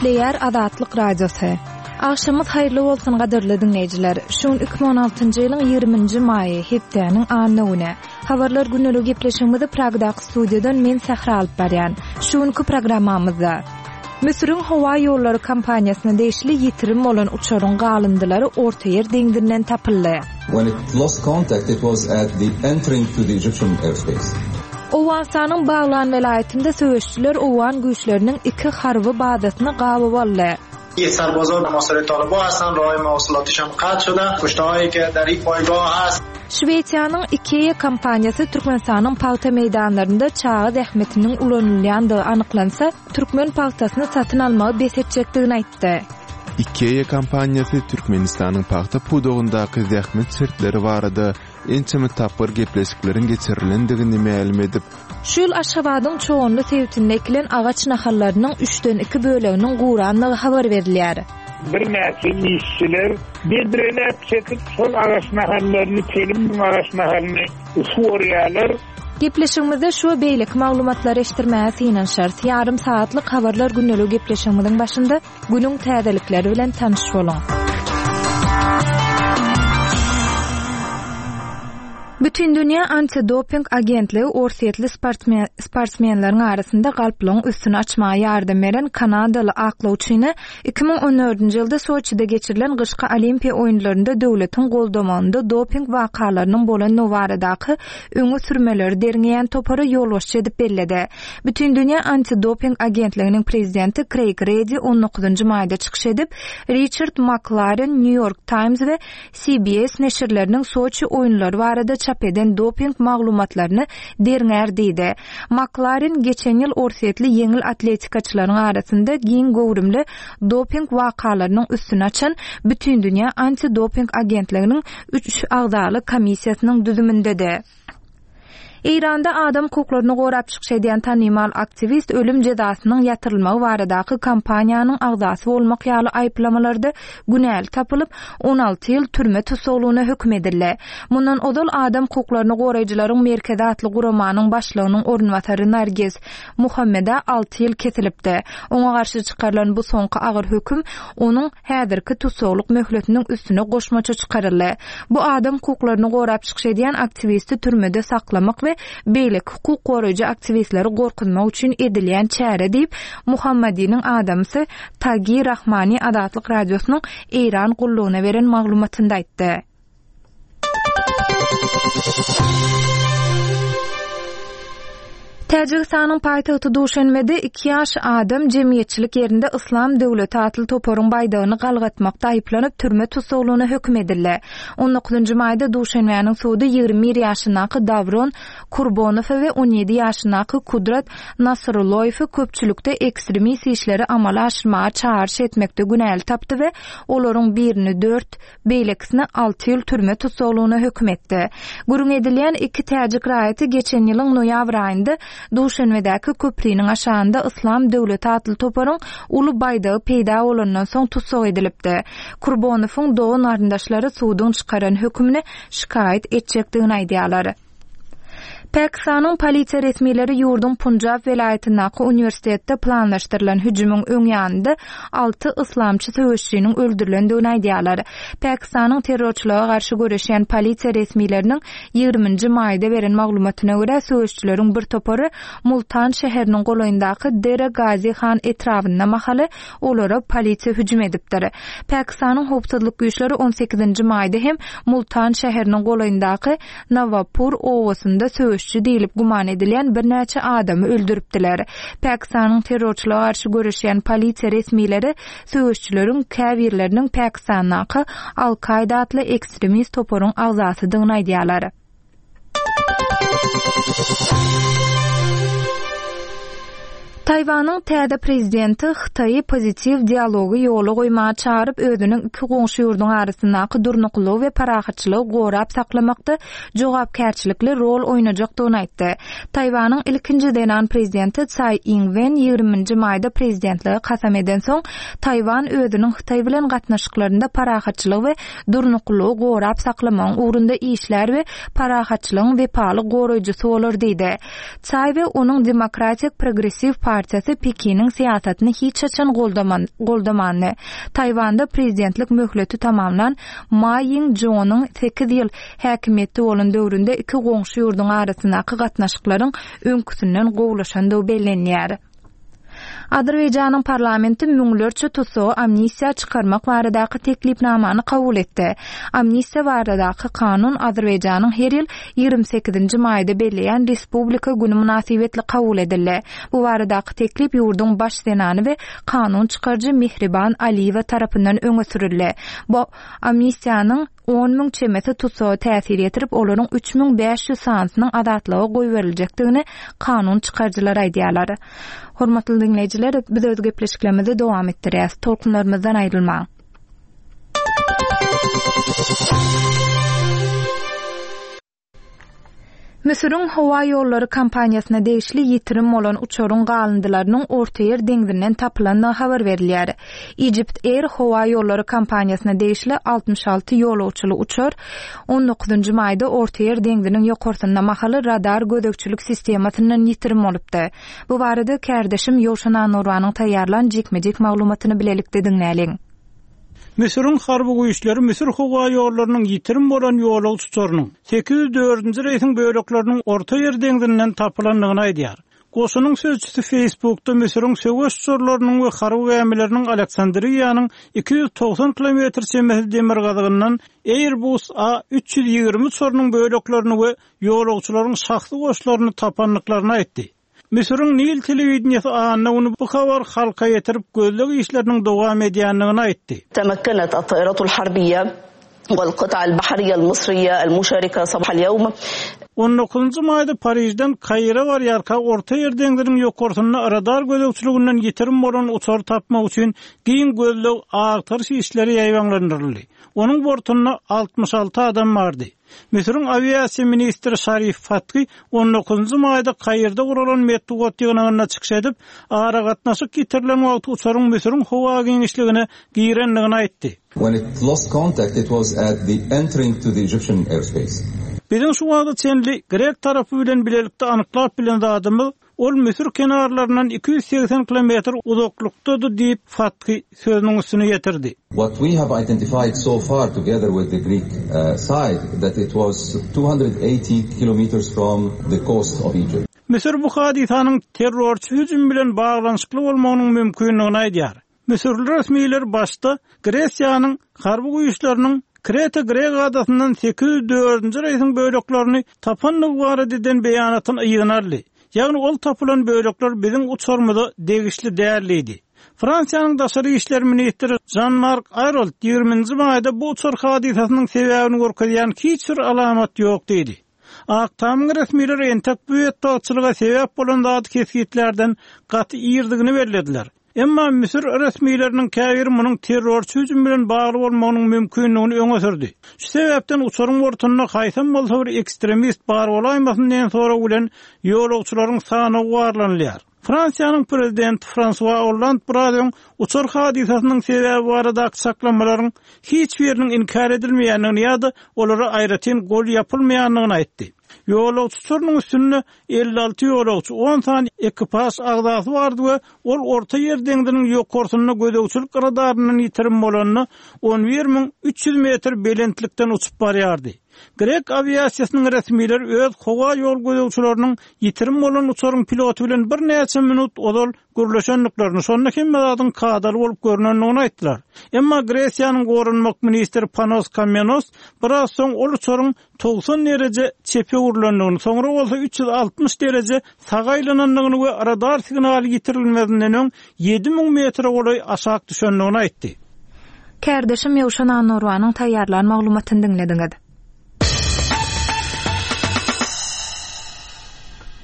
Gepleýär Azatlyk Radiosy. Agşamyňyz haýyrly bolsun gadyrly diňleýjiler. Şu gün 2016-njy ýylyň 20-nji maýy, hepdäniň anna güni. Habarlar gündelik gepleşigimizi Pragdaky studiýadan men Sähra alyp barýan. Şu günki programmamyzda Müsüriň howa ýollary kompaniýasyna degişli ýitirim bolan uçaryň galyndylary Ortaýer deňzinden tapyldy. When it lost contact it was at the entering to the Egyptian airspace. Owganystanyň Baglan welaýatynda söweşijiler owgan güýçleriniň iki harby bazasyny gabaw aldy. Şwesiýanyň IKEA kompaniýasy Türkmenistanyň pagta meýdanlarynda çaga zähmetiniň ulanylýandygy anyklansa, türkmen pagtasyny satyn almagy bes etjekdigini aýtdy. IKEA kompaniýasy Türkmenistanyň pagta pudagyndaky zähmet şertleri barada ençeme tapgyr gepleşikleriň geçirilendigini mälim edip, Şu ýyl Aşgabadyň Çoganly sebitinde ekilen agaç nahallarynyň üçden iki böleginiň gurandygy habar berilýär. Birnäçe işçiler bedreläp çekip, şol agaç nahallaryny, telim müň agaç nahalyny suwarýarlar. Gepleşigimizde şu we beýleki maglumatlary eşitdirmäge synanyşarys. Ýarym sagatlyk Habarlar gündeligi gepleşigimiziň başynda Günüň täzelikleri bilen tanyş boluň! Bütindünýä antidoping agentligi orsýetli sportsmenleriň arasynda galplygyň üstüni açmaga ýardam beren kanadaly aklawçyny 2014-nji ýylda Soçide geçirilen gyşky Olimpiýa oýunlarynda döwletiň goldamagynda doping wakalarynyň bolandygy baradaky öňe sürmeleri derňeýän topara ýolbaşçy edip belledi. Bütindünýä antidoping agentliginiň prezidenti Kreýg Redi on dokuzynjy maýda çykyş edip, Riçard Maklaren New York Times we CBS neşirleriniň Soçi oýunlary barada çap eden doping maglumatlaryny derňär diýdi. Maklaren geçen ýyl orsýetli ýeňil atletikaçylaryň arasynda giň göwrümli doping wakalarynyň üstüni açan Bütindünýä antidoping agentliginiň üç agzaly komissiýasynyň düzümindedi. Eýranda adam hukuklaryny gorap çykyş edýän tanymal aktiwist ölüm jezasynyň ýatyrylmagy baradaky kampaniýanyň agzasy bolmak ýaly aýyplamalarda günäli tapylyp, 16 ýyl türme tussaglygyna höküm edildi. Mundan ozal Adam hukuklaryny goraýjylaryň merkezi atly guramanyň başlygynyň orunbasary Narges Muhammedä alty ýyl kesilipdi. Oňa garşy çykarylan bu soňky agyr höküm onuň häzirki tussaglyk möhletiniň üstüne goşmaça çykaryldy. Bu adam hukuklaryny gorap çykyş edýän aktiwisti türmede saklamak we beýleki hukuk goraýjy aktiwistleri gorkuzmak üçin edilýän çäre diýip, Muhammadiniň adamsy Tagi Rahmani Azatlyk Radiosynyň Eýran gullugyna beren maglumatynda aýtdy. Täjigistanyň paýtagty Duşenbede iki ýaş adam jemgyýetçilik ýerinde Yslam döwleti atly toparyň baýdagyny galgatmakda aýyplanyp, türme tussaglygyna höküm edildi. On dokuzynjy maýda Duşenbäniň sudy 21 ýaşyndaky Dawron Kurbonowy we 17 ýaşyndaky Kudrat Nasrulloýewi köpçülikde ekstremist işleri amala aşyrmaga çagyryş etmekde günäli tapdy we olaryň birini dört beýlekisini alty ýyl türme tussaglygyna höküm etdi. Gürrüň edilýän iki täjik raýaty geçen ýylyň noýabr aýynda Duşenbedäki köpriniň aşagynda Yslam döwleti atly toparyň uly baýdagy peýda bolandan soň tussag edilipdi. Kurbonowyň dogan-garyndaşlary suduň çykaran hökümini şikaýat etjekdigini aýdýarlar. Pakistanyň polisiýa resmileri ýurduň Punjab welaýatyndaky uniwersitetde planlaşdyrylan hüjümiň öň ýanynda alty yslamçy söweşijiniň öldürilendigini aýdýarlar. Pakistanyň terrorçylyga garşy göreşýän polisiýa resmileriniň ýigriminji maýda beren maglumatyna görä, söweşijileriň bir topary Multan şäheriniň golaýyndaky Dera Gazi Han etrabynda mahaly olara polisiýa hüjüm edipdir. Pakistanyň howpsuzlyk güýçleri on sekizinji maýda hem Multan şäheriniň golaýyndaky Nawapur obasynda söweşçi diýlip güman edilýän birnäçe adamy öldüripdiler. Pakistanyň terrorçylyga garşy göreşýän polisiýa resmileri söweşçileriň käbirleriniň Pakistandaky Al-Kaýda atly ekstremist toparyň agzasydygyny aýdýarlar. Taýwanyň täze prezidenti Hytaýy pozitiw dialogy ýola goýmaga çagyryp, özüniň iki goňşy ýurduň arasyndaky durnuklylygy we parahatçylygy gorap saklamakda jogapkärçilikli rol oýnajakdygyny aýtdy. Taýwanyň ilkinji zenan prezidenti Tsai Ing-wen ýigriminji maýda prezidentlige kasam edensoň, Taýwan özüniň Hytaý bilen gatnaşyklarynda parahatçylygy we durnuklylygy gorap saklamagyň ugrunda işlär we parahatçylygyň wepaly goraýjysy bolar diýdi. Tsai we onuň Demokratik progressiw partiýasy. partiýasy Pekiniň syýasatyny hiç haçan goldamandy. Taýwanda prezidentlik möhleti tamamlan Ma Ýing-jonyň sekiz ýyl häkimiýetde bolan döwründe iki goňşy ýurduň arasyndaky gatnaşyklaryň öňküsinden gowulaşandygy bellenýär. Azerbaýjanyň parlamenti müňlerçe tussagy amnistiýa çykarmak baradaky teklipnamany kabul etdi. Amnistiýa baradaky kanun Azerbaýjanyň her ýyl 28-nji maýda belleýän Respublika güni mynasybetli kabul edildi. Bu baradaky teklip ýurduň baş zenany we kanun çykaryjy Mehriban Aliýewa tarapyndan öňe sürüldi. Bu amnistiýanyň 10 müň çemesi tussaga täsir ýetirip, olaryň 3500 sanysynyň azatlyga goýberiljekdigini kanun çykaryjylar aýdýarlar. Hormatly diňleýjiler, biz öz gepleşiklerimizi dowam etdirýäris. Tolkunlarymyzdan aýrylmaň. Müsüriň howa ýollary kompaniýasyna degişli ýitirim bolan uçaryň galyndylarynyň Ortaýer deňzinden tapylandygy habar berilýär. Egypt Air howa ýollary kompaniýasyna degişli 66 ýolagçyly uçar on dokuzynjy maýda Ortaýer deňziniň ýokarsynda mahaly radar gözegçilik sistemasyndan ýitirim bolupdy. Bu barada kärdeşim Ýowşan Annurbanyň taýýarlan jikme-jik maglumatyny bilelikde diňläliň. Müsüriň harby güýçleri Müsür howa ýollarynyň ýitirim bolan ýolagçy uçarynyň 804-nji reýsiň bölekleriniň Orta Ýer deňzinden tapylandygyny aýdýar. Goşunyň sözçüsi Facebookda Müsüriň söweş uçarlarynyň we harby gämileriniň Aleksandriýanyň 290 kilometr çemesi demirgazygyndan Airbus A 320 uçarynyň böleklerini we ýolagçylaryň şahsy goşlaryny tapandyklaryny aýtdy. Müsüriň Nil telewideniýesi anna güni bu habary halka ýetirip, gözleg işleriniň dowam edýändigini aýtdy. Temakkenat at-taýratul harbiýa wal-kyta al-bahriýa al-mysriýa al-muşarika sabah al-ýewm. On dokuzynjy maýda Parižden Kaire barýarka Orta Ýer deňziniň ýokarsynda radar gözegçiliginden ýitirim bolan uçary tapmak üçin giň gözleg-agtaryş işleri ýaýbaňlandyryldy. Onuň bortunda 66 adam bardy. Müsüriň awiasiýa ministri Şarif Fathy on dokuzynjy maýda Kairde guralan metbugat ýygnagynda çykyş edip, aragatnaşyk ýitirilen wagty uçaryň Müsüriň howa giňişligine girendigini aýtdy. When it lost contact it was at the entering to the Egyptian airspace. Biziň şu wagta çenli grek tarapy bilen bilelikde anyklap bilen zadymyz, Ol Müsür kenarlaryndan 280 kilometr uzaklykdady diýip, Fathy sözüniň üstüni ýetirdi. What we have identified so far together with the Greek side that it was 280 kilometers from the coast of Egypt. Müsür bu hadysanyň terrorçy hüjüm bilen baglanyşykly bolmagynyň mümkindigini aýdýar. Müsürli resmiler başda Gresiýanyň harby güýçleriniň Kreta grek adasyndan 804-nji reýsiň böleklerini tapandygy barada eden beýanatyny yzyna aldy. Ýagny ol tapylan bölekler biziň uçarymyza degişli däl diýdi. Fransiýanyň daşary işler ministri Žan-Mark Aýrolt ýigriminji maýda bu uçar hadysasynyň sebäbini görkezýän hiç bir alamat ýok diýdi. Ak Tamyň resmileri entek bu betbagtçylyga sebäp bolan zady kesgitlärden gaty irdigini bellediler. Emma müsür resmileriniň käbiri munuň terrorçy hüjüm bilen bagly bolmagynyň mümkindigini öňe sürdi. Şu sebäpden uçaryň bortunda haýsam bolsa bir ekstremist bar bolaýmasyn diýen sorag bilen ýolagçylaryň sanawy barlanylýar. Fransiýanyň prezidenti Fransua Olland biraz öň uçar hadysasynyň sebäbi baradaky çaklamalaryň hiç biriniň inkär edilmeýändigini ýa-da olara aýratyn gol ýapylmaýandygyny aýtdy. Ýolagçy uçarynyň üstünde 56 ýolagçy, on sany ekipaž agzasy bardy we ol Orta Ýer deňziniň ýokarsynda gözegçilik radaryndan ýitirim bolanda 11300 metr belentlikden uçup barýardy. Grek awiasiýasynyň resmileri öz howa ýol gözegçileriniň ýitirim bolan uçaryň piloty bilen birnäçe minut ozal gürleşendiklerini, şonda hemme zadyň kadaly bolup görnendigini aýtdylar. Emma Gresiýanyň goranmak ministri Panos Kammenos biraz soň ol uçaryň 90 dereje çepe öwrülendigini, soňra bolsa 360 dereje saga aýlanandygyny we radar signaly ýitirilmezinden öň 7000 metre golaý aşak düşendigini aýtdy. Kärdeşim Ýowşan Annurbanyň taýýarlan maglumatyny diňlediňiz.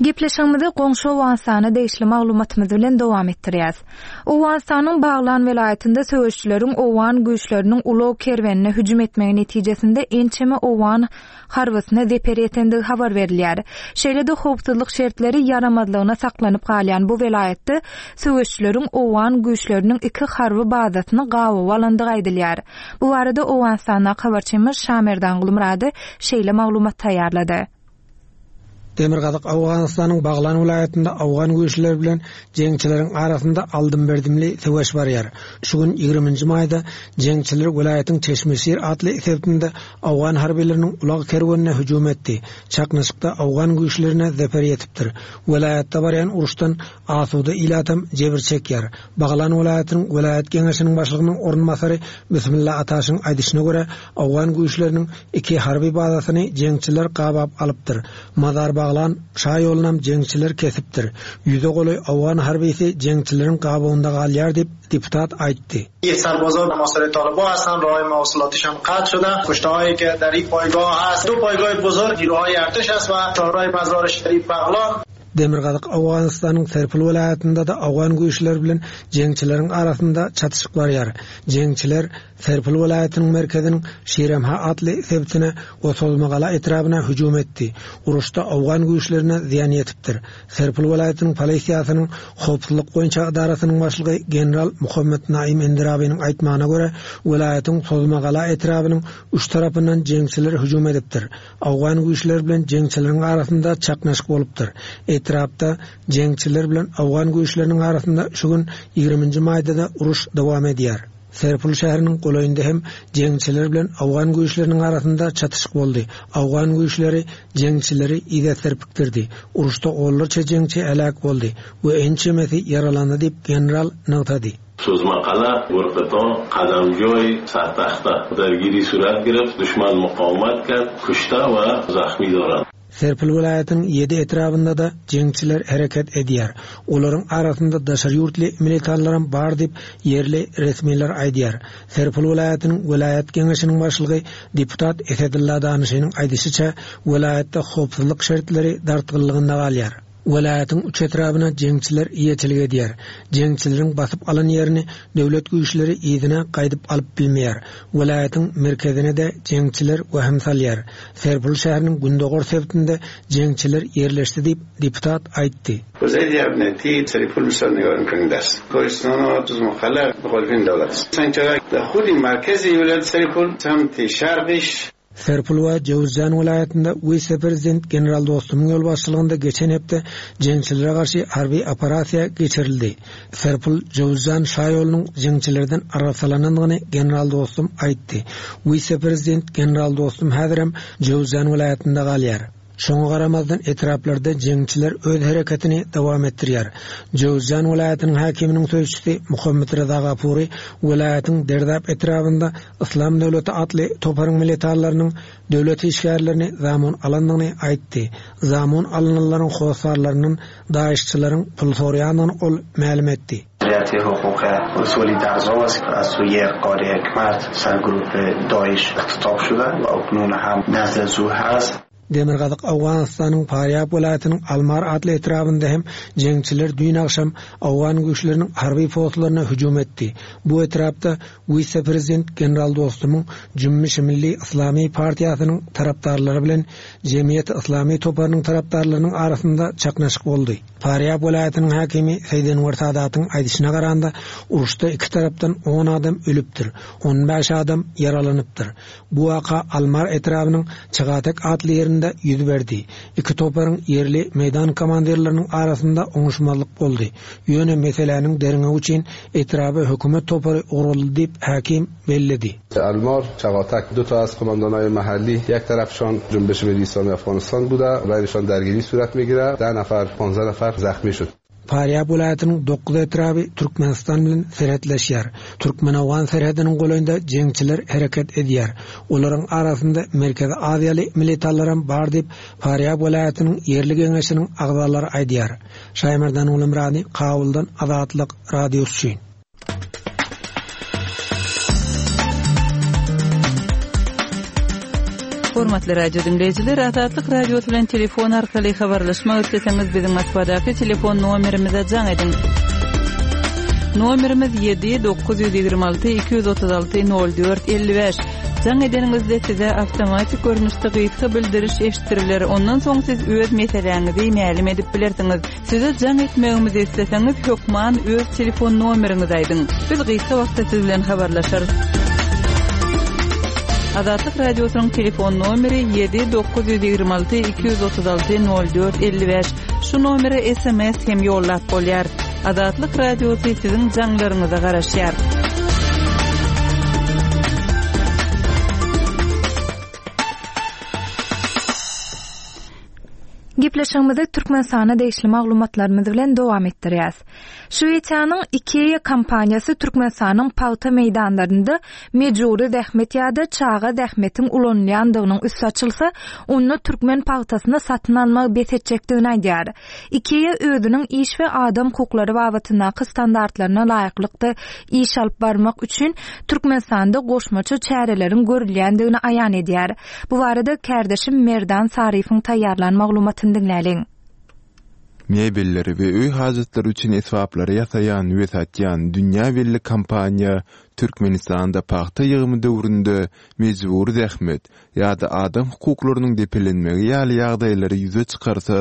Gepleşigimizi goňşy Owganystana degişli maglumatymyz bilen dowam etdirýäs. Owganystanyň Baglan welaýatynda söweşijileriň owgan güýçleriniň ulag kerwenine hüjüm etmegi netijesinde ençeme owgan harbysyna zeper ýetendigi habar berilýär. Şeýle-de howpsuzlyk şertleri ýaramazlygyna saklanyp galýan bu welaýatda söweşijileriň owgan güýçleriniň iki harby bazasyny gabawa alandygy aýdylýar. Bu barada Owganystandaky habarçymyz Şamerdan Gulmyrady şeýle maglumat taýýarlady. Demirgazyk Owganystanyň Baglan welaýatynda owgan güýçleri bilen jeňçileriň arasynda aldym-berdimli söweş barýar. Şu gün, ýigriminji maýda, jeňçiler welaýatyň Çeşmeşir atly sebitinde owgan harbylarynyň ulag kerwenine hüjüm etdi. Çaknyşykda owgan güýçlerine zeper ýetipdir. Welaýatda barýan uruşdan asuda ilatam jebir çekýär. Baglan welaýatynyň welaýat geňeşiniň başlygynyň orunbasary Bismilla Ataşyň aýdyşyna görä, owgan güýçleriniň iki harby bazasyny jeňçiler gabap alypdyr. Mazar-Baglan şa ýolunam jeňçiler kesipdir. Ýüze golaý owgan harbysy jeňçileriň gabawynda galýar diýip, deputat aýtdy. Demirgazyk Owganystanyň Serpil welaýatynda-da owgan güýçleri bilen jeňçileriň arasynda çatyşyk barýar. Jeňçiler Serpil welaýatynyň merkeziniň Şiremha atly sebitine we Sozmagala etrabyna hüjüm etdi. Uruşda owgan güýçlerine zyýan ýetipdir. Serpil welaýatynyň polisiýasynyň howpsuzlyk boýunça edarasynyň başlygy general Muhammet Naim Endirabynyň aýtmagyna görä, welaýatyň Sozmagala etrabynyň üç tarapyndan jeňçiler hüjüm edipdir. Owgan güýçleri bilen jeňçileriň arasynda çaknyşyk bolupdyr. Etrapda jeňçiler bilen owgan güýçleriniň arasynda şu gün, ýigriminji maýda-da uruş dowam edýär. Serpul şäheriniň golaýynda hem jeňçiler bilen owgan güýçleriniň arasynda çatyşyk boldy. Owgan güýçleri jeňçileri yza serpikdirdi. Uruşda onlarça jeňçi heläk boldy we ençemesi ýaralandy diýip, general nygtady. Sozmakala, Gurkyto, Kadamjoý, Sartahta dargiri surat gireft, duşman mukawmat kert, kuşta we zahmi doran. Serpil welaýatynyň ýedi etrabynda-da jeňçiler hereket edýär. Olaryň arasynda daşary ýurtly militanlaram bar diýip, ýerli resmiler aýdýar. Serpil welaýatynyň welaýat geňeşiniň başlygy, deputat Esedylla Danyşynyň aýdyşyça, welaýatda howpsuzlyk şertleri dartgynlygynda galýar. Welaýatyň üç etrabyna jeňçiler eýeçilik edýär. Jeňçileriň basyp alan ýerini döwlet güýçleri yzyna gaýdyp alyp bilmeýär. Welaýatyň merkezine-de jeňçiler wehim salýar. Serpul şäheriniň gündogar sebitinde jeňçiler ýerleşdi diýip, deputat aýtdy. Serpil we Jöwüzjan welaýatynda wise-prezident general Dostumyň ýolbaşçylygynda geçen hepde jeňçilere garşy harby operasiýa geçirildi. Serpil, Jöwüzjan şaýolunyň jeňçilerden arassalanandygyny general Dostum aýtdy. Wise-prezident general Dostum häzirem Jöwüzjan welaýatynda galýar. Şoňa garamazdan, etraplarda jeňçiler öz hereketini dowam etdirýär. Jöwüzjan welaýatynyň häkiminiň sözçüsi Muhammet Reza Gapury welaýatyň Derdap etrabynda Yslam döwleti atly toparyň militanlarynyň döwlet işgärlerini zamun alandygyny aýtdy. Zamun alynanlaryň hossarlaryndan daişçileriň pul soraýandygyny ol mälim etdi. Demirgazyk Owganystanyň Farýab welaýatynyň Almar atly etrabynda hem jeňçiler düýn agşam owgan güýçleriniň harby postlaryna hüjüm etdi. Bu etrapda wise-prezident general Dostumyň Jümmüşi Milli Yslamy partiýasynyň tarapdarlary bilen Jemgyýeti Yslamy toparynyň tarapdarlarynyň arasynda çaknyşyk boldy. Farýab welaýatynyň häkimi Seýid Enwer Sadatyň aýdyşyna garanda, uruşda iki tarapdan on adam ölüpdir, on bäş adam ýaralanypdyr. Bu waka Almar etrabynyň Çygatek atly ýerinde ýüz berdi. Iki toparyň ýerli meýdan komandirleriniň arasynda oňuşmazlyk boldy. Ýöne meseläniň derňewi üçin etraba hökümet topary ugraldy diýip, häkim belledi. Almar, Çagatek du ta az komandanaý mahalli ýek tarafşon Jumbeşi Milli Islami Afganistan buda, baýnişon dergiri surat migire, deh nafar, ponzeh nafar zahmi şud. Farýab welaýatynyň dokuz etraby Türkmenistan bilen serhetleşýär. Türkmen-owgan serhediniň golaýynda jeňçiler hereket edýär. Olaryň arasynda Merkezi Aziýaly militanlaram bar diýip, Farýab welaýatynyň ýerli geňeşiniň agzalary aýdýar. Şaýmerdan Gulumyrady, Kabuldan Azatlyk Radiosy üçin. Hormatly radio diňleýjiler, Azatlyk Radiosy bilen telefon arkaly habarlaşmak isleseňiz, biziň Moskwadaky telefon nomerimize jaň ediň. Nomerimiz 7 926 236 04 55. Jaň edeniňizde size awtomatik görnüşde gysga bildiriş eşitdiriler. Ondan soň siz öz meseläňizi mälim edip bilersiňiz. Size jaň etmegimizi isleseňiz, hökman öz telefon nomeriňizi aýdyň. Biz gysga wagtda siz bilen habarlaşarys. Azatlyk Radiosynyň telefon nomeri 7 926 236 04 55. Şu nomere sms hem ýollap bolýar. Azatlyk Radiosy siziň jaňlaryňyza garaşýar. Gepleşigimizi Türkmenistana degişli maglumatlarymyz bilen dowam etdirýäs. Şwesiýanyň IKEA kompaniýasy Türkmenistanyň pagta meýdanlarynda mejbury zähmet ýa-da çaga zähmetiň ulanylýandygynyň üsti açylsa, onda türkmen pagtasyny satyn almagy bes etjekdigini aýdýar. IKEA özüniň iş we adam hukuklary babatyndaky standartlaryna laýyklykda iş alyp barmak üçin Türkmenistanda goşmaça çäreleriň görülýändigini aýan edýär. Bu barada kärdeşim Merdan Saryýewiň taýýarlan maglumatyny diňläliň. Mebelleri we öý hajatlary üçin esbaplary ýasaýan we satýan dünýä belli kompaniýa Türkmenistanda pagta ýygymy döwründe mejbury zähmet ýa-da adam hukuklarynyň depelenmegi ýaly ýagdaýlary ýüze çykarsa,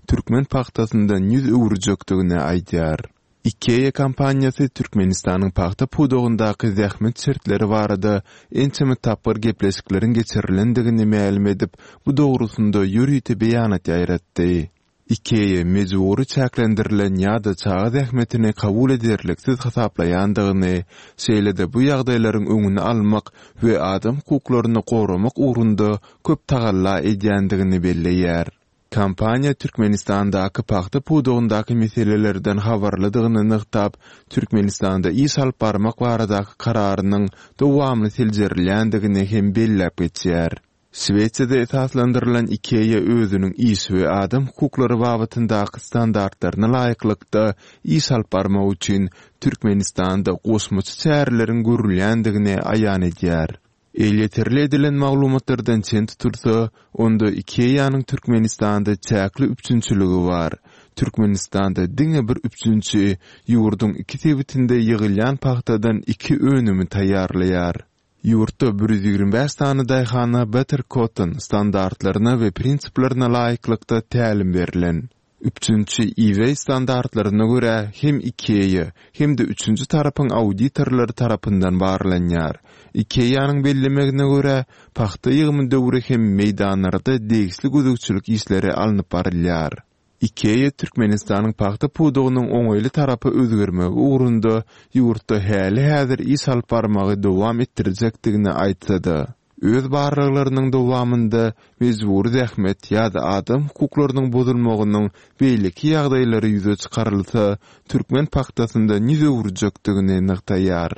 türkmen pagtasyndan ýüz öwürjekdigini aýdýar. IKEA kompaniýasy Türkmenistanyň pagta pudagyndaky zähmet şertleri barada ençeme tapgyr gepleşikleriň geçirilendigini mälim edip, bu dogrusynda ýörite beýanat ýaýratdy. IKEA mejbury çäklendirilen ýa-da çaga zähmetini kabul ederliksiz hasaplaýandygyny, şeýle-de bu ýagdaýlaryň öňüni almak we adam hukuklaryny goramak ugrunda köp tagalla edýändigini belleýär. Kompaniýa Türkmenistandaky pagta pudagyndaky meselelerden habarlydygyny nygtap, Türkmenistanda iş alyp barmak baradaky kararynyň dowamly seljerilýändigini hem belläp geçýär. Şwesiýada esaslandyrylan IKEA özüniň iş we adam hukuklary babatyndaky standartlaryna laýyklykda iş alyp barmak üçin Türkmenistanda goşmaça çäreleriň görülýändigini aýan edýär. Elýeterli edilen maglumatlardan çen tutulsa, onda IKEA-nyň Türkmenistanda çäkli üpjünçiligi bar. Türkmenistanda diňe bir üpjünçi ýurduň iki sebitinde ýygylýan pagtadan iki önümi taýýarlaýar. Ýurtda 125 sany daýhana Better Cotton standartlaryna we prinsiplerine laýyklykda tälim berlen. Üpjünçi eBay standartlaryna görä hem IKEA, hem-de üçünji tarapyň auditorlary tarapyndan barlanýar. IKEA-nyň bellemegine görä, pagta ýygymy döwri hem meýdanlarda degişli gözegçilik işleri alnyp barylýar. IKEA Türkmenistanyň pagta pudagynyň oňaýly tarapa özgermegi ugrunda ýurtda häli-häzir iş alyp barmagy dowam etdirjekdigini aýtsa-da, öz barlaglarynyň dowamynda mejbury zähmet ýa-da adam hukuklarynyň bozulmagynyň beýleki ýagdaýlary ýüze çykarylsa, türkmen pagtasyndan ýüz öwürjekdigini nygtaýar.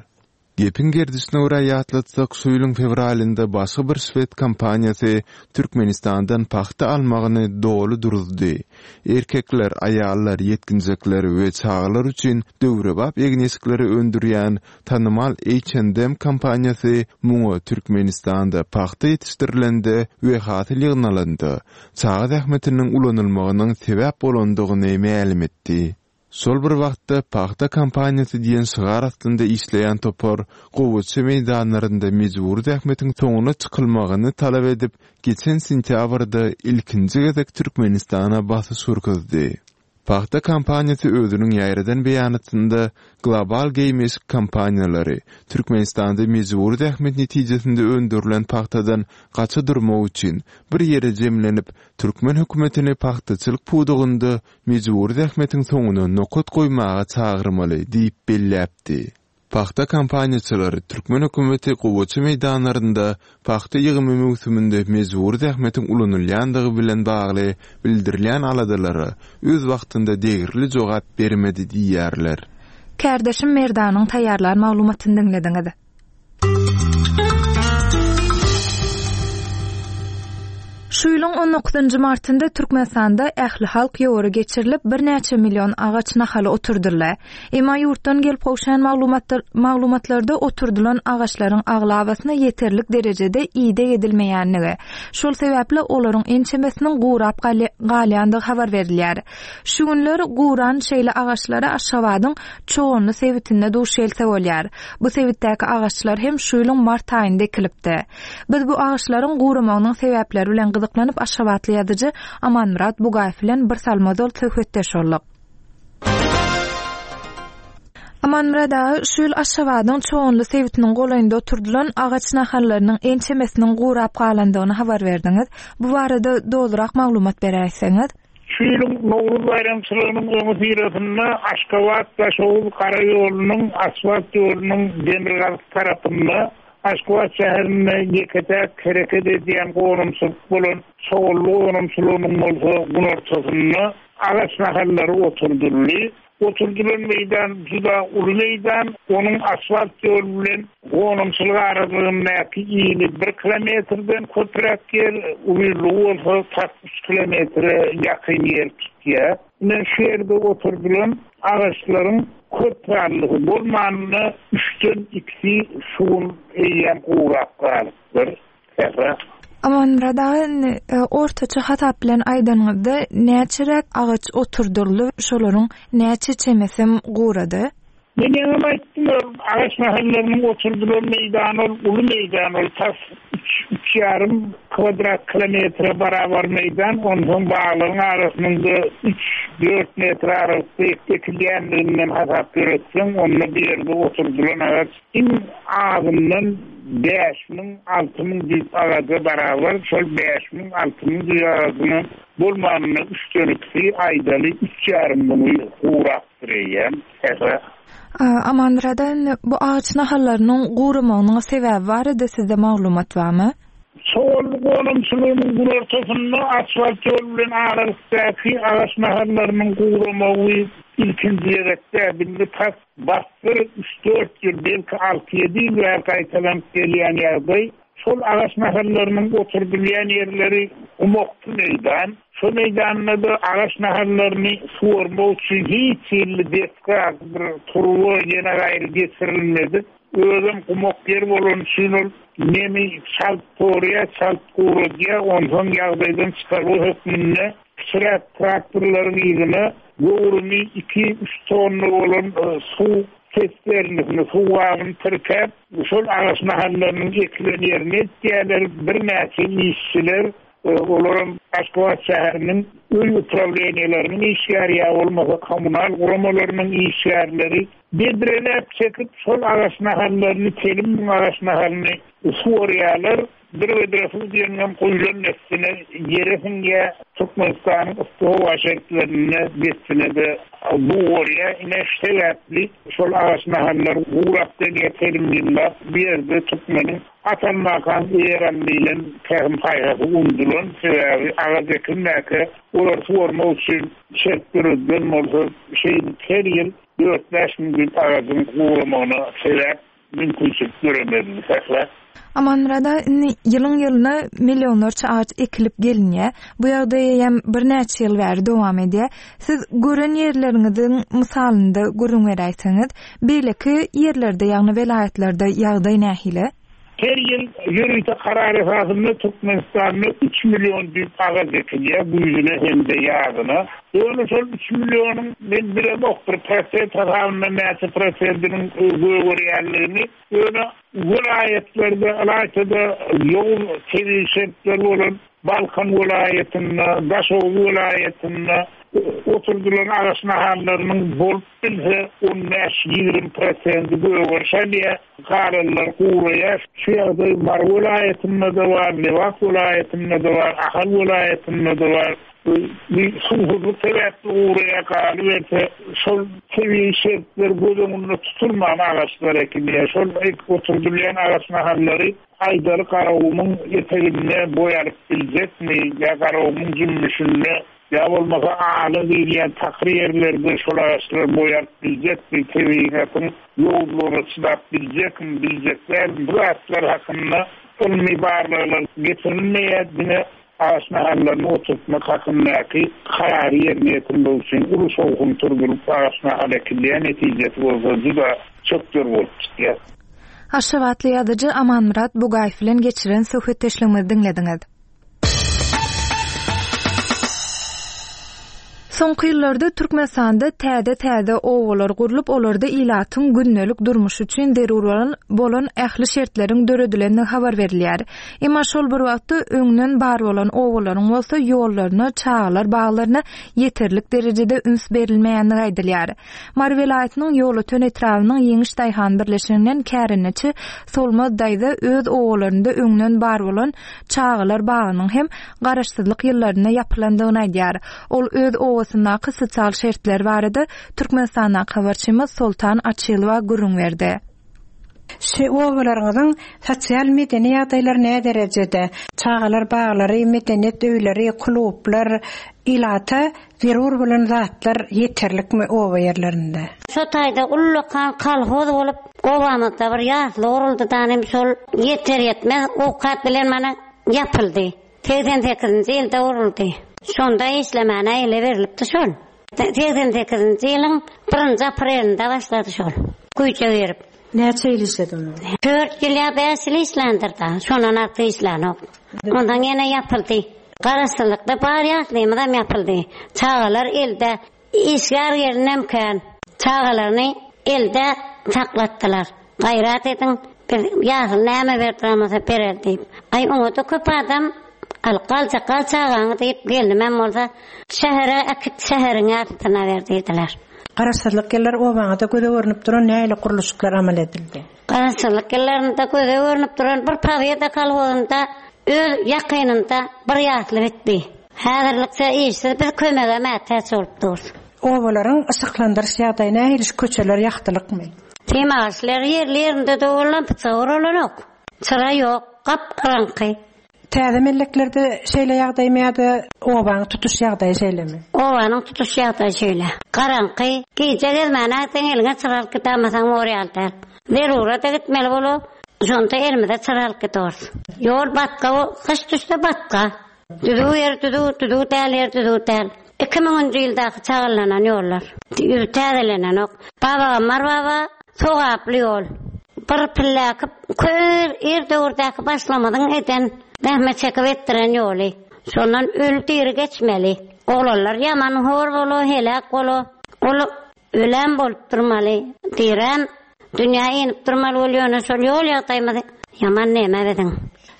Gepiň gerdişine görä ýatlatsak, şu ýylyň fewralynda başga bir şwed kompaniýasy Türkmenistandan pagta almagyny doly duruzdy. Erkekler, aýallar, ýetginjekler we çagalar üçin döwrebap egin-eşikleri öndürýän tanymal H&M kompaniýasy muňa Türkmenistanda pagta ýetişdirilende we hasyl ýygnalanda çaga zähmetiniň ulanylmagynyň sebäp bolandygyny mälim etdi. Şol bir wagtda, Pagta kampaniýasy diýen şygar astynda işleýän topar gowaça meýdanlarynda mejbury zähmetiň soňuna çykylmagyny talap edip, geçen sentýabrda ilkinji gezek Türkmenistana basyş görkezdi. Pagta kampaniýasy özüniň ýaýradan beýanatynda global geýim-eşik kompaniýalary Türkmenistanda mejbury zähmet netijesinde öndürilen pagtadan gaça durmak üçin bir ýere jemlenip, türkmen hökümetini pagtaçylyk pudagynda mejbury zähmetiň soňuna nokat goýmaga çagyrmaly diýip belläpdi. Pagta kampaniýaçylary türkmen hökümeti gowaça meýdanlarynda pagta ýygymy möwsüminde mejbury zähmetiň ulanylýandygy bilen bagly bildirilýän aladalara öz wagtynda degerli jogap bermedi diýýärler. Kärdeşim Merdanyň taýýarlan maglumatyny diňlediňiz. Şu ýylyň on dokuzynjy martynda Türkmenistanda ählihalk ýowary geçirilip, birnäçe million agaç nahaly oturdyldy. Emma ýurtdan gelip gowşan maglumatlarda oturdylan agaçlaryň aglabasyna ýeterlik derejede ideg edilmeýändigi, şol sebäpli olaryň ençemesiniň gurap galýandygy habar berilýär. Şu günler guran şeýle agaçlara Aşgabadyň Çoganly sebitinde duş gelse bolýar. Bu sebitdäki agaçlar hem şu ýylyň mart aýynda ekilipdi. Biz bu agaçlaryň guramagynyň sebäpleri bilen gyzyklanyp aşgabatly ýazyjy Amanmyrat Bugaýew bilen bir salym ozal söhbetdeş bolduk. Amanmyrat aga, şu ýyl Aşgabadyň Çoganly sebitiniň golaýynda oturdylan agaç nahallarynyň ençemesiniň gurap galandygyny habar berdiňiz. Bu barada dolurak maglumat beräýseňiz? Şu ýylyň Nowruz baýramçylygynyň öňüsyrasynda Aşgabat-Daşoguz gara ýolunyň asfalt ýolunyň demirgazyk tarapynda Aşgabat şäherinde ýeke-täk hereket edýän gonamçylyk bolan Çoganly gonamçylygynyň bolsa günortasynda agaç nahallary oturdyldy. Oturdylan meýdan juda uly meýdan, onuň asfalt ýol bilen gonamçylyk aralygyndaky ini bir kilometrden köpräk ýer, uzynlygy bolsa tas üç kilometre ýakyn ýer tutýar. Ine, şu ýerde oturdylan agaçlaryň köp sanlysy, bolmanda üçden ikisi şu gün eýýäm gurap galypdyr. Sähra. Amanmyrat aga indi ortaça hasap bilen aýdanyňyzda näçeräk agaç oturdyldy şolaryň näçe çemesem gurady? Men ýaňam aýtdym ol agaç nahallarynyň oturdylan meýdany ol uly meýdan ol tas üç üç ýarym kwadrat kilometre barabar meýdan onsoň baglaryň arasynda üç dört metr aralykda ekilýänliginden hasap ýöretseň onda bu ýerde oturdylan agaç Iň azyndan 5000, 6000 düýp agaja barabar, şol 5000, 6000 düýp agajyňam bolmanynda üçden ikisi, aýdaly, üç ýarym müňi gurapdyr eýýäm, Sähra. Amanmyrat aga, indi bu agaç nahallarynyň guramagynyň sebäbi barada sizde maglumat barmy? Çoganly gonamçylygynyň günortasynda asfalt ýol bilen aralykdaky agaç nahallarynyň guramagy ilkinji gezek däl, indi tas Bassyr üç-dört ýyl, belki alty-ýedi ýyl bäri gaýtalanyp gelýän ýagdaý. Şol agaç nahallarynyň oturdylýan ýerleri gumakly meýdan. Şo meýdanda-da agaç nahallaryny suwarmak üçin hiç hili desga, bir turba ýene gaýry geçirilmedik. Özem gumak ýer bolany üçin ol nemi çalt sorýar, çalt guradýar. Onsoň ýagdaýdan çykalga hökmünde Kiçiräk traktorlaryň yzyna göwrümi iki-üç tonna bolan suw sesternasini, suw gabyny tirkäp, şol agaç nahallarynyň ekilen ýerine eltýärler. Birnäçe işçiler, olaram Aşgabat şäheriniň öý uprawleniýeleriniň işgäri ýa bolmasa kommunal guramalarynyň işgärleri bedreläp çekip, şol agaç nahallaryny, telim müň agaç nahalyny suwarýarlar. Bir bedre suw diýeniňem guýlan dessine ýere siňýär. Türkmenistanyň yssy howa şertlerinde dessine-de gugarýar. Ine, şu sebäpli şol agaç nahallar gurap gelýär telim ýyllap. Bu ýerde türkmeniň At almakaň eýer al diýlen pähim-paýhasy unudylan. Sebäbi agaç ekilmäkä olary suwarmak üçin şert döredilen bolsa, şeýdip her ýyl dört-bäş müň düýp agajyň guramagyna sebäp Mümkinçilik döremezmi Sähra? Amanmyrat aga, indi ýylyň-ýylyna millionlarça agaç ekilip gelinýär. Bu ýagdaý eýýäm birnäçe ýyl bäri dowam edýär. Siz gören ýerleriňiziň mysalynda gürrüň beräýseňiz, beýleki ýerlerde, ýagny welaýatlarda ýagdaý nähili? Her ýyl ýörite karar esasynda Türkmenistanda üç million düýp agaç ekilýär, güýzüne hem-de ýazyna. Ýöne şol üç millionyň, men bilemok, bir prosent hasabynda näçe prosentiniň gögerýänligini, ýöne welaýatlarda, ylaýta-da ýowuz tebigy şertleri bolan Balkan welaýatynda, Daşoguz welaýatynda oturdylan agaç nahallarynyň bolup bilse on bäş-ýigrimi prosenti gögeriş alýar, galanlary guraýar. Şu ýagdaý Mary welaýatynda-da bar, Lebap welaýatynda-da bar, Ahal welaýatynda-da bar. Bu suwsuzlyk sebäpli guraýar, galyberse, şol tebigy şertler göz öňünde tutulman agaçlar ekilýär. Şol oturdylýan agaç nahallary Aýdaly Garagumuň eteginde boý alyp biljekmi ýa Garagumuň jümmüşinde, ýa bolmasa ala diýilýän takyr ýerlerde şol agaçlar boý alyp biljekmi, tebigatyň ýowuzlygyna çydap biljekmi, biljek dälmi, bu zatlar hakynda ylmy barlaglar geçirilmeýär, diňe agaç nahallaryny oturtmak hakyndaky karary ýerine ýetirmek üçin uly şowhun turzulyp agaç nahaly ekilýär, netijesi bolsa juda çökder bolup çykýar. Aşgabatly ýazyjy Amanmyrat Bugaýew bilen geçiren söhbetdeşligimizi diňlediňiz. Soňky ýyllarda Türkmenistanda täze-täze obalar gurlup, olarda ilatyň gündelik durmuşy üçin zerur bolan bolan ähli şertleriň döredilendigi habar berilýär. Emma şol bir wagtda öňden bar bolan obalaryň bolsa ýollaryna, çagalar baglaryna ýeterlik derejede üns berilmeýändigi aýdylýar. Mary welaýatynyň Ýolöten etrabynyň Ýeňiş daýhan birleşiginden kärendeçi Solmaz daýza öz obalarynda öňden bar bolan çagalar bagynyň hem Garaşsyzlyk ýyllarynda ýapylandygyny aýdýar. Ol öz obasyndaky sosial şertler barada Türkmenistandaky habarçymyz Soltan Açylowa gürrüň berdi. Şu obalaryňyzyň sosial-medeni ýagdaýlary näderejede? Çagalar baglary, medeniýet öýleri, klublar, ilata zerur bolan zatlar ýeterlikmi oba ýerlerinde? Şo taýda ullakan kolhoz bolup, obamyzda bir ýasly guruldy danym şol ýeter-ýetmez owkat bilen mana ýapyldy. 88-nji ýylda guruldy. Şonda işlemäne ele berlipdi şol. 88-nji ýylyň birinji aprelinde başlady şol. Güýje girip. Näçe ýyl işledi onda? Dört ýyl ýa bäş ýyl işländir-da. Şondan artyk işlänok. Ondan ýene ýapyldy. Garaşsyzlykda bar ýaslymyzam ýapyldy. Çagalar elde. Işgär gelinem kän. Çagalaryny elde saklatdylar. Gaýrat ediň, biz ýasyl näme berdiren bolsa berer diýip. Aý, oňa-da köp adam Alyp galjak, gal çagaňy diýip, gelnimem bolsa, Şähere äkit, şäheriň ýasysyna ber diýdiler. Garaşsyzlyk ýyllary obaňyzda göze görnüp duran nähili gurluşyklar amal edildi? Garaşsyzlyk ýyllarynda göze görnüp duran bir Pobeda kolhozynda öz ýakynynda bir ýasly bitdi. Häzirlikçe işsiz biz kömege mätäç bolup durus. Obalaryň yşyklandyryş ýagdaýy nähili şu köçeler ýagtylykmy? Sem agaçlary ýerli ýerinde dolan pyçak uralanok. Çyra ýok, gap garaňky. Täze melleklerde şeýle ýagdaýmy ýa-da obanyň tutuş ýagdaýy şeýlemi? Obanyň tutuş ýagdaýy şeýle. Garaňky. Gije gezmäne gitseň eliňe çyra alyp gidäýmeseň bor ýaly däl. Zerura-da gitmeli bolup, şonda elimize çyra alyp gidiorys. Ýol batga, gyş düşse batga. Düzüw ýer düzüw, düzüw däl ýer düzüw däl. Iki müňünji ýyldaky çagyllanan ýollar. Ýüzi täzelenenok. Babagammar baba sogaply ýol. Bir pilläki kör ir döwürdäki başlamyzyň eden zähmet çekip etdiren ýoly. Şondan öli diri geçmeli. Oglanlar ýaman hor bola, heläk bola. Ol Ölem bolup durmaly, direm dünýä inip durmaly bol ýöne şol ýol ýagdaýymyz ýaman neme biziň.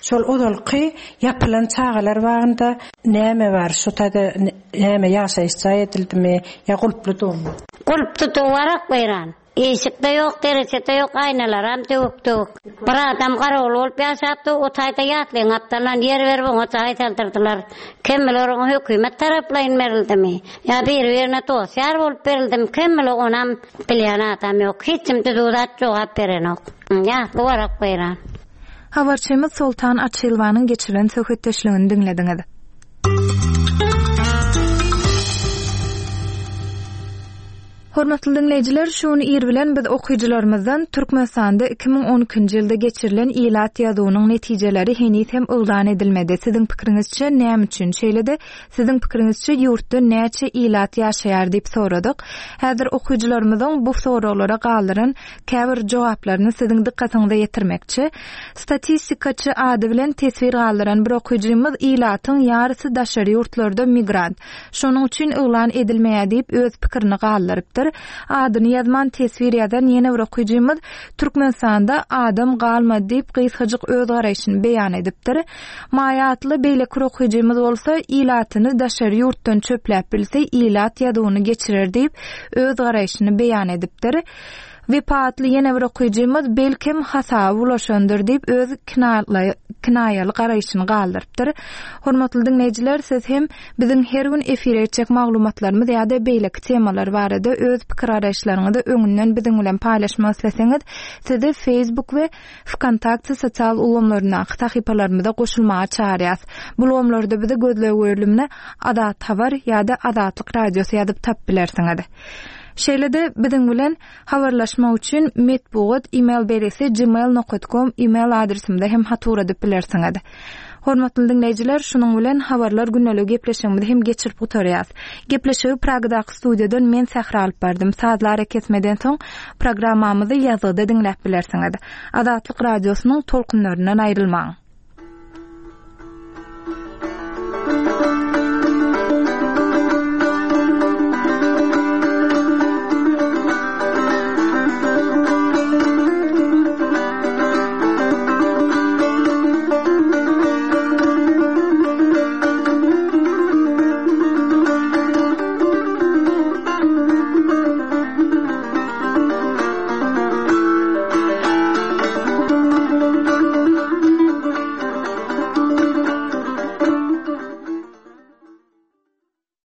Şol ozalky ýapylan çagalar bagynda näme bar şu taýda näme ýaşaýyş jaý edildimi ýa gulply dumy. Gulply duwarak weýran. Işikde ýok derejede ýok aýnalaram döwük döwük. Bir adam garawul bolup ýaşapdy o taýda ýatlyň gapdalyndan ýer berip oňa jaý saldyrdylar. Kim biler oňa hökümet taraplaýyn berildimi ýa biri-birine dost-ýar bolup berildimi, kim biler onam bilýän adam ýok. Hiç kim düzüw zat jogap berenok. Ýasly warak weýran. Habarçymyz Soltan Açylowanyň geçiren söhbetdeşligini diňlediňiz. Hormatly diňleýjiler, şu gün ir bilen biz okyjylarymyzdan Türkmenistanda 2012-nji ýylda geçirilen ilat ýazuwynyň netijeleri heniz hem yglan edilmedi. Siziň pikiriňizçe näme üçin? Şeýle-de, siziň pikiriňizçe ýurtda näçe ilat ýaşaýar diýip soradyk. Häzir okyjylarymyzyň bu soraglara galdyran käbir jogaplaryny siziň dykgatyňyza ýetirmekçi. Statistikaçy ady bilen teswir galdyran bir okyjymyz ilatyň ýarysy daşary ýurtlarda migrant. Şonuň üçin yglan edilmeýär diýip öz pikirini galdyrypdyr. Adyny ýazman teswir ýazan ýene bir okyjymyz Türkmenistanda adam galmady diýip gysgajyk öz garaýşyny beýan edipdir. Maýa atly beýleki bir okyjymyz bolsa ilatyny daşary ýurtdan çöpläp bilse ilat ýazuwyny geçirer diýip öz garaýşyny beýan edipdir. Wepa atly ýene bir okyjymyz belkem hasaby bulaşandyr diýip öz kinaýaly garaýşyny galdyrypdyr. Hormatly diňleýjiler siz hem biziň her gün efire etjek maglumatlarymyz ýa-da beýleki temalar barada öz pikir-garaýyşlaryňyzy öňünden biziň bilen paýlaşmak isleseňiz sizi Facebook we Wkontakte sosial ulgamlaryndaky sahypalarymyza goşulmaga çagyrýas. Bu ulgamlarda bizi gözleg bölümine Azat Habar ýa-da Azatlyk Radiosy ýazyp tapyp bilersiňiz. Şeýle-de biziň bilen habarlaşmak üçin metbugat email belgisi gmail nokat kom email adresimize hem hat ugradyp bilersiňiz. Hormatly diňleýjiler, şunuň bilen Habarlar gündeligi gepleşigimizi hem geçirip gutarýas. Gepleşigi Pragadaky studiýadan men Sähra alyp bardym. Sazly arakesmeden soň programmamyzy ýazgyda diňläp bilersiňiz. Azatlyk Radiosynyň tolkunlaryndan aýrylmaň!